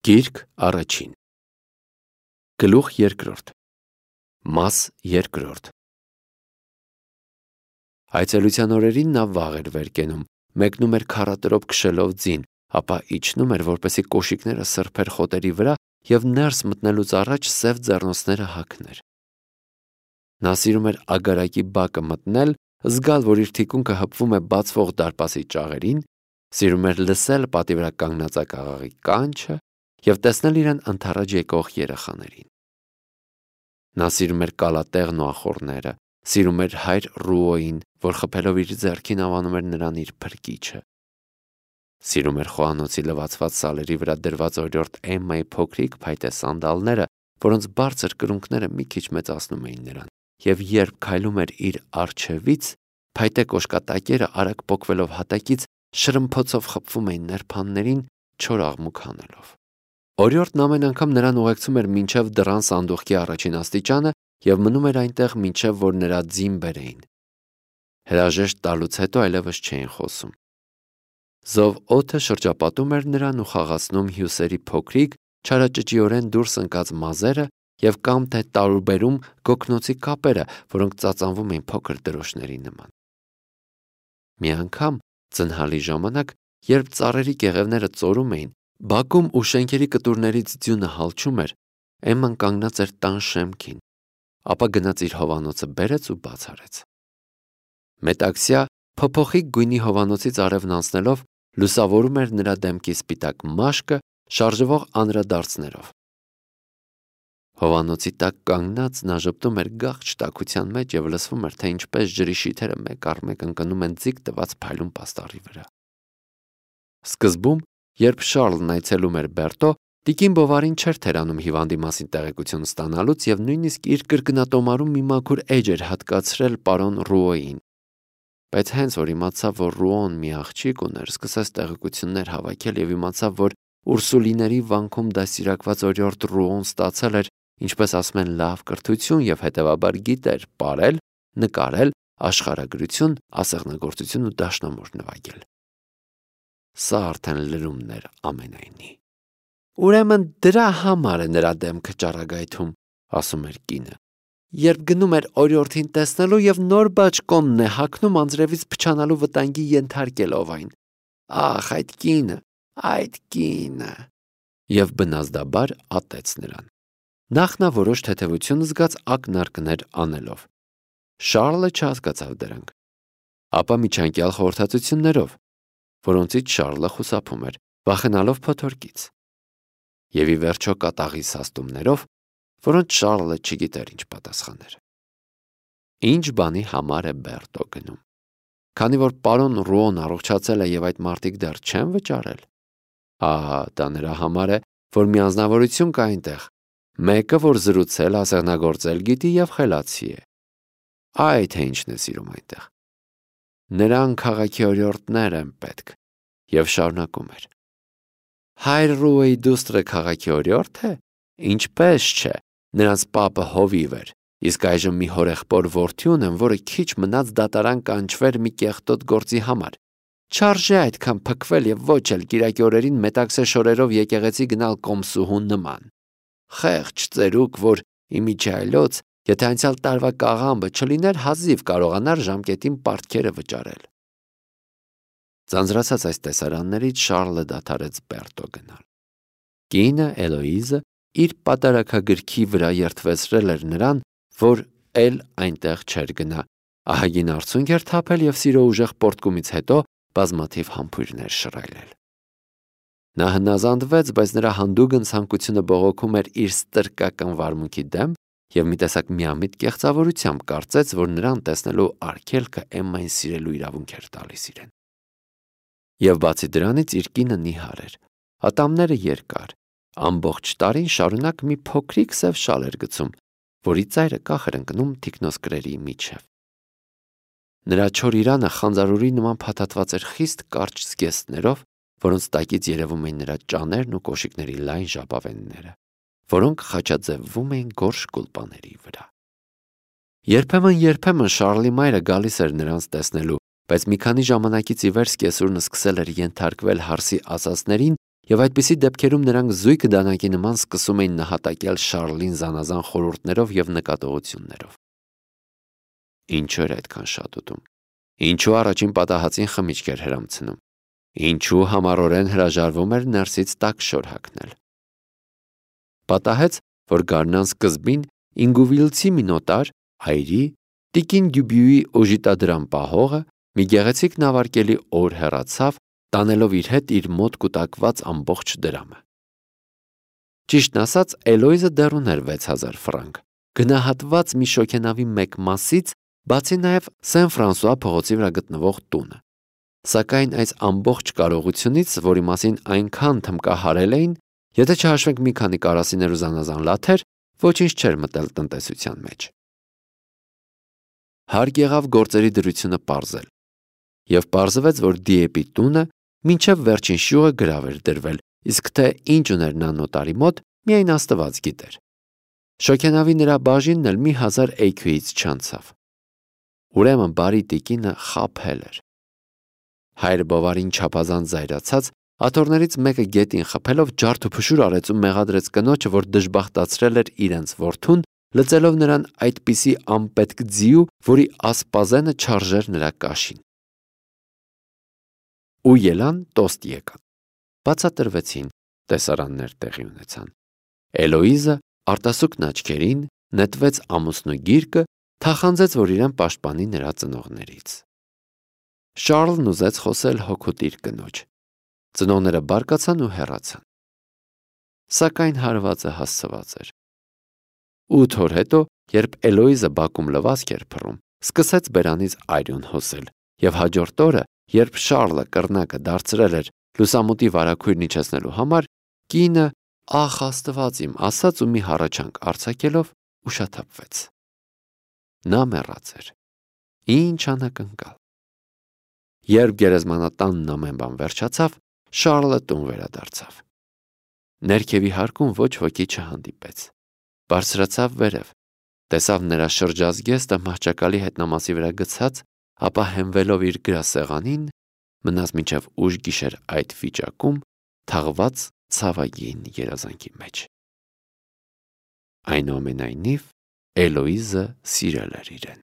Գիրք առաջին Գլուխ երկրորդ Մաս երկրորդ Այցելության օրերին նա վաղ էր վեր կենում, մեկնում էր քառատրոփ քշելով ձին, ապա իջնում էր, որպեսզի կոշիկները սրբեր խոտերի վրա և ներս մտնելուց առաջ սև ձեռնոցները հագներ։ Նա սիրում էր ագարակի բակը մտնել, զգալ, որ իր թիկունքը հպվում է բացվող դարպասի ճաղերին, սիրում էր լսել պատի վրա կանգնած աղաղի կանչը և տեսնել իրեն ընդառաջ եկող երեխաներին։ Նա սիրում էր կալատեղն ու ախոռները, սիրում էր հայր Ռուոյին, որ խփելով իր ձեռքին անվանում էր նրան իր փրկիչը։ Սիրում էր խոհանոցի լվացված սալերի վրա դրված օրիորդ Էմմայի փոքրիկ փայտե սանդալները, որոնց բարձր կրունկները մի քիչ մեծացնում էին նրան, և երբ քայլում էր իր առջևից, փայտե կոշկատակերը արագ պոկվելով հատակից շրմփոցով խփվում էին նրբաններին, չոր աղմուկ հանելով։ Օրիորդն ամեն անգամ նրան ուղեկցում էր մինչև դռան սանդուղքի առաջին աստիճանը և մնում էր այնտեղ, մինչև որ նրա ձին բերեին։ Հրաժեշտ տալուց հետո այլևս չէին խոսում։ Զով օդը շրջապատում էր նրան ու խաղացնում հյուսերի փոքրիկ, չարաճճիորեն դուրս ընկած մազերը և կամ թե տարուբերում գոգնոցի կապերը, որոնք ծածանվում էին փոքր դրոշների նման։ Մի անգամ ձնհալի ժամանակ, երբ ծառերի կեղևները ծորում էին, բակում ու շենքերի կտուրներից ձյունը հալչում էր, Էմման կանգնած էր տան շեմքին, ապա գնաց իր հովանոցը բերեց ու բաց արեց։ Մետաքսյա փոփոխիկ գույնի հովանոցից արևն անցնելով լուսավորում էր նրա դեմքի սպիտակ մաշկը շարժվող անդրադարձներով։ Հովանոցի տակ կանգնած նա ժպտում էր գաղջ տաքության մեջ և լսվում էր, թե ինչպես ջրի շիթերը մեկ առ մեկ ընկնում են ձիգ տված փայլուն պաստառի վրա։ Սկզբում, երբ Շառլն այցելում էր Բերտո, տիկին Բովարին չէր թերանում հիվանդի մասին տեղեկություն ստանալուց և նույնիսկ իր կրկնատոմարում մի մաքուր էջ էր հատկացրել պարոն Ռուոյին։ Բայց հենց որ իմացավ, որ Ռուոն մի աղջիկ ուներ, սկսեց տեղեկություններ հավաքել և իմացավ, որ Ուրսուլիների վանքում դաստիարակված օրիորդ Ռուոն ստացել էր, ինչպես ասում են, լավ կրթություն և հետևաբար գիտեր պարել, նկարել, աշխարհագրություն, ասեղնագործություն ու դաշնամուր նվագել։ Սա արդեն լրումն էր ամենայնի։ Ուրեմն դրա համար է նրա դեմքը ճառագայթում, ասում էր կինը, երբ գնում էր օրիորդին տեսնելու և նոր բաճկոնն է հագնում անձրևից փչանալու վտանգի ենթարկելով այն։ Ախ, այդ կինը… Եվ բնազդաբար ատեց նրան։ Նախ նա որոշ թեթևություն զգաց ակնարկներ անելով։ Շառլը չհասկացավ դրանք։ Ապա միջանկյալ խորհրդածություններով, որոնցից Շառլը խուսափում էր, վախենալով փոթորկից։ Եվ ի վերջո կատաղի սաստումներով, որոնց Շառլը չգիտեր ինչ պատասխաներ։ Ինչ բանի համար է Բերտո գնում։ Քանի որ պարոն Ռուոն առողջացել է և այդ մարդիկ դեռ չեն վճարել։ Ահա, դա նրա համար է, որ մի անձնավորություն կա այնտեղ, մեկը, որ զրուցել, ասեղնագործել գիտի և խելացի է։ Այ թե ինչն է սիրում այնտեղ։ Նրան քաղաքի օրիորդներ են պետք։ Եվ շարունակում էր. Հայր Ռուոյի դուստրը քաղաքի օրիորդ է։ Ինչպես չէ, նրանց պապը հովիվ էր, իսկ այժմ մի հորեղբոր որդի ունեն, որը քիչ մնաց դատարան կանչվեր մի կեղտոտ գործի համար։ Չարժե այդքան փքվել և ոչ էլ կիրակի օրերին մետաքսե շորերով եկեղեցի գնալ կոմսուհու նման։ Խեղճ ծերուկ, որ իմիջիայլոց, եթե անցյալ տարվա կաղամբը չլիներ, հազիվ կարողանար ժամկետին պարտքերը վճարել։ Ձանձրացած այս տեսարաններից Շառլը դադարեց Բերտո գնալ։ Կինը Էլոիզը իր պատարագագրքի վրա երդվեցրել էր նրան, որ էլ այնտեղ չէր գնա, ահագին արցունք էր թափել և սիրո ուժեղ պոռթկումից հետո բազմաթիվ համբույրներ շռայլել։ Նա հնազանդվեց, բայց նրա հանդուգն ցանկությունը բողոքում էր իր ստրկական վարմունքի դեմ և մի տեսակ միամիտ կեղծավորությամբ կարծեց, որ նրան տեսնելու արգելքը Էմմային սիրելու իրավունք էր տալիս իրեն։ Եվ բացի դրանից իր կինը նիհար էր, ատամները երկար, ամբողջ տարին շարունակ մի փոքրիկ սև շալ էր գցում, որի ծայրը կախ էր ընկնում թիկնոսկրերի միջև։ Նրա չոր իրանը խանձարուրի նման փաթաթված էր խիստ կարճ զգեստներով, որոնց տակից երևում էին նրա ճաներն ու կոշիկների լայն ժապավենները, որոնք խաչաձևվում էին գորշ գուլպաների վրա։ Երբեմն Շառլի մայրը գալիս էր նրանց տեսնելու, բայց մի քանի ժամանակից ի վեր սկեսուրն սկսել էր ենթարկվել հարսի ասածներին եւ այդպիսի դեպքերում նրանք զույգ դանակի նման սկսում էին նահատակել Շարլին զանազան խորհուրդներով եւ նկատողություններով։ Ինչու էր այդքան շատ ուտում։ Ինչու առաջին պատահածին խմիչք էր հրամցնում։ Ինչու համառորեն հրաժարվում էր ներսից տաք շոր հագնել։ Պատահեց, որ գարնան սկզբին ինգուվիլցի մինոտար հայրի Տիկին Դյուբյուի օժիտադրամ պահողը մի գեղեցիկ նավարկելի օր հեռացավ, տանելով իր հետ իր մոտ կուտակված ամբողջ դրամը։ Ճիշտն ասած, Էլոիզը դեռ ուներ 6000 ֆրանկ, գնահատված մի շոգենավի մեկ մասից, բացի նաև Սեն Ֆրանսուଆ փողոցի վրա գտնվող տունը։ Սակայն այս ամբողջ կարողությունից, որի մասին այնքան թմկահարել էին, եթե չհաշվենք մի քանի կարասիներ ու զանազան լաթեր, ոչինչ չէր մտել տնտեսության մեջ։ Հարկ եղավ գործերի դրությունը պարզել, եւ պարզվեց, որ Դիեպի տունը մինչև վերջին շյուղը գրավ էր դրվել, իսկ թե ինչ ուներ նա նոտարի մոտ, միայն Աստված գիտեր։ Շոգենավի նրա բաժինն էլ մի 1000 էյքյուից չանցավ։ Ուրեմն բարի տիկինը խաբել էր։ Հայր Բովարին չափազանց զայրացած, աթոռներից մեկը գետին խփելով ջարդ ու փշուր արեց ու մեղադրեց կնոջը, որ դժբախտացրել էր իրենց որդուն, լծելով նրան այդպիսի անպետք ձիու, որի ասպազենը չարժեր նրա կաշին։ Ու ելան տոստ եկան։ Բացատրվեցին, տեսարաններ տեղի ունեցան։ Էլոիզը արտասուքն աչքերին նետվեց ամուսնու գիրկը, թախանձեց, որ իրեն պաշտպանի նրա ծնողներից։ Շարլն ուզեց խոսել հոգուտ իր կնոջ։ Ծնողները բարկացան ու հեռացան։ Սակայն հարվածը հասցված էր։ 8 օր հետո, երբ Էլոիզը բակում լվացք էր փռում, սկսեց բերանից այրուն հոսել, եւ հաջորդ օրը, երբ Շարլը կռնակը դարձրել էր լուսամուտի վարագույրն իջեցնելու համար, կինը ախ Աստված իմ ասաց ու մի հառաչանք արձակելով ուշաթափվեց։ Նա մեռած էր։ Ինչ անակնկալ։ Երբ գերեզմանատանն ամեն բան վերջացավ, Շարլը տուն վերադարձավ։ Ներքևի հարկում ոչ ոքի չհանդիպեց։ Բարձրացավ վերև, տեսավ նրա շրջազգեստը մահճակալի հետնամասի վրա գցած, ապա հենվելով իր գրասեղանին, մնաց մինչև ուշ գիշեր այդ վիճակում, թաղված ցավագին երազանքի մեջ։ Այնուամենայնիվ Էլոիզը սիրել էր իրեն։